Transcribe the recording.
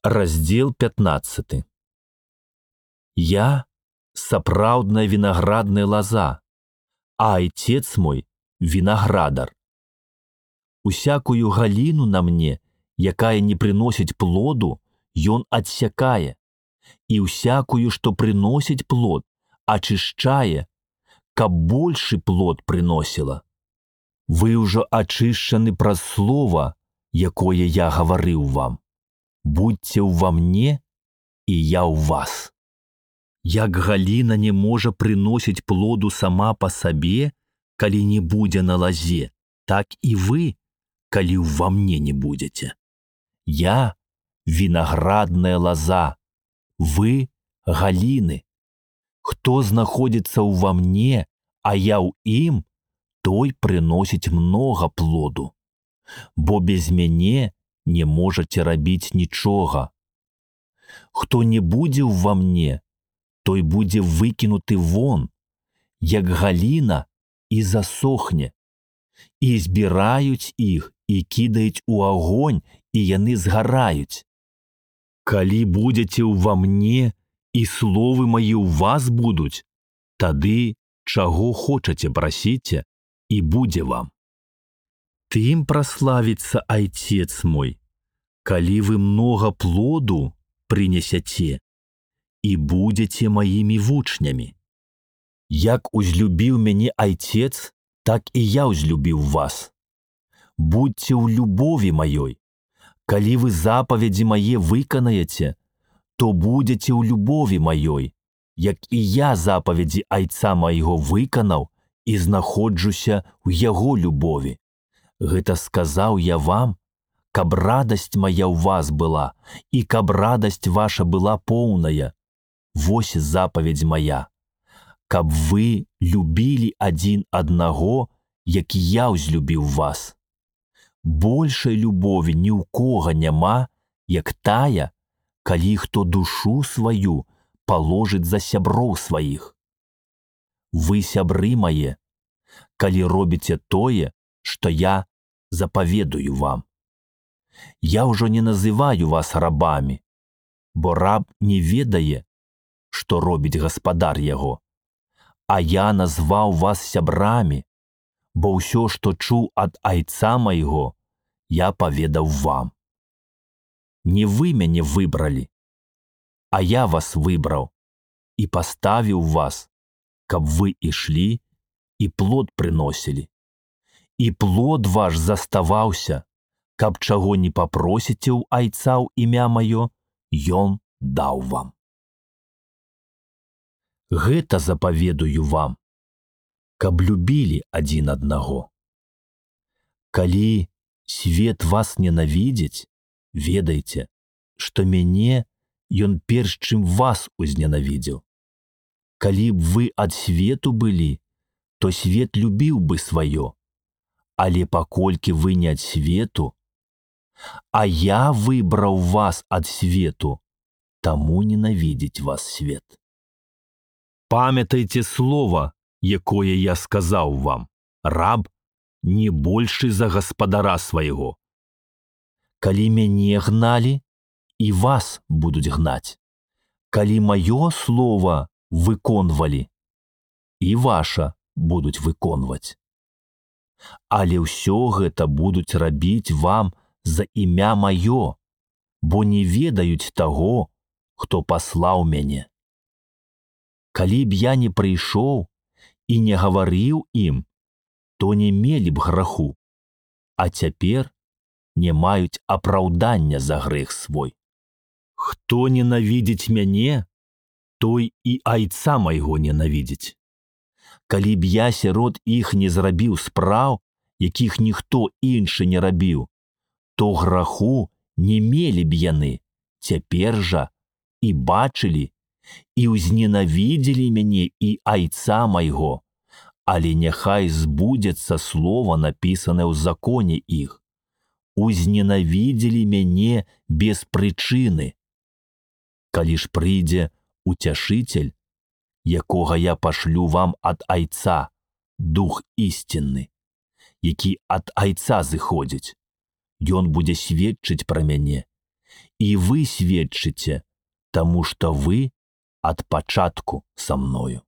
Раздзел 15. Я сапраўдная вінаградная лаза, а айцец мой вінаградар. Усякую галіну на мне, якая не прыносіць плоду, ён адсякае, і усякую, што прыносіць плод, ачышчае, каб большы плод прыносіла. Вы ўжо ачышчаны праз слова, якое я гаварыў вам. Будьце ўва мне, і я ў вас. Як галіна не можа прыносіць плоду сама па сабе, калі не будзе на лазе, так і вы, калі ўва мне не будзеце. Я вінаградная лаза, вы галіны. Хто знаходзіцца ўва мне, а я ў ім, той прыносіць многа плоду, бо без мяне не можаце рабіць нічога. Хто не будзе ўва мне, той будзе выкінуты вон, як галіна, і засохне, і збіраюць іх і кідаюць у агонь, і яны згараюць. Калі будзеце ўва мне, і словы мае ў вас будуць, тады чаго хочаце прасіце, і будзе вам. Тым праславіцца айцец мой, калі вы многа плоду прынесяце, і будзеце маімі вучнямі. Як узлюбіў мяне айцец, так і я узлюбіў вас. Будьце ў любові маёй. Калі вы запаведзі мае выканаеце, то будзеце ў любові маёй, як і я запаведзі айца майго выканаў і знаходжуся ў яго любові. Гэта сказаў я вам, каб радасць мая ў вас была, і каб радасць ваша была поўная. Вось запаведзь мая, каб вы любілі адзін аднаго, як я ўзлюбіў вас. Большай любові ні ў кога няма, як тая, калі хто душу сваю паложыць за сяброў сваіх. Вы сябры мае, калі робіце тое, што я запаведую вам. Я ўжо не называю вас рабамі, бо раб не ведае, што робіць гаспадар яго, а я назваў вас сябрамі, бо ўсё, што чуў ад айца майго, я паведаў вам. Не вы мяне выбралі, а я вас выбраў і паставіў вас, каб вы ішлі і плод прыносілі. І плод ваш заставаўся, каб чаго не папросіце ў айца ў імя маё, ён даў вам. Гэта запаведую вам, каб любілі адзін аднаго. Калі свет вас ненавідзіць, ведайце, што мяне ён перш чым вас узненавідзеў. Калі б вы ад свету былі, то свет любіў бы сваё, але паколькі вы не ад свету, а я выбраў вас ад свету, таму ненавідзіць вас свет. Памятайце слова, якое я сказаў вам. Раб не большы за гаспадара свайго. Калі мяне гналі, і вас будуць гнаць. Калі маё слова выконвалі, і ваша будуць выконваць. Але ўсё гэта будуць рабіць вам за імя маё, бо не ведаюць таго, хто паслаў мяне. Калі б я не прыйшоў і не гаварыў ім, то не мелі б граху, а цяпер не маюць апраўдання за грэх свой. Хто ненавідзіць мяне, той і айца майго ненавідзіць. Калі б я сярод іх не зрабіў спраў, якіх ніхто іншы не рабіў, то граху не мелі б яны, цяпер жа і бачылі, і ўзненавідзелі мяне і айца майго, але няхай збудзецца слова, напісанае ў законе іх. Узненавідзелі мяне без прычыны. Калі ж прыйдзе уцяшыцель, якога я пашлю вам ад айца, дух ісцінны, які ад айца зыходзіць, ён будзе сведчыць пра мяне, І вы сведчыце, таму што вы ад пачатку са мною.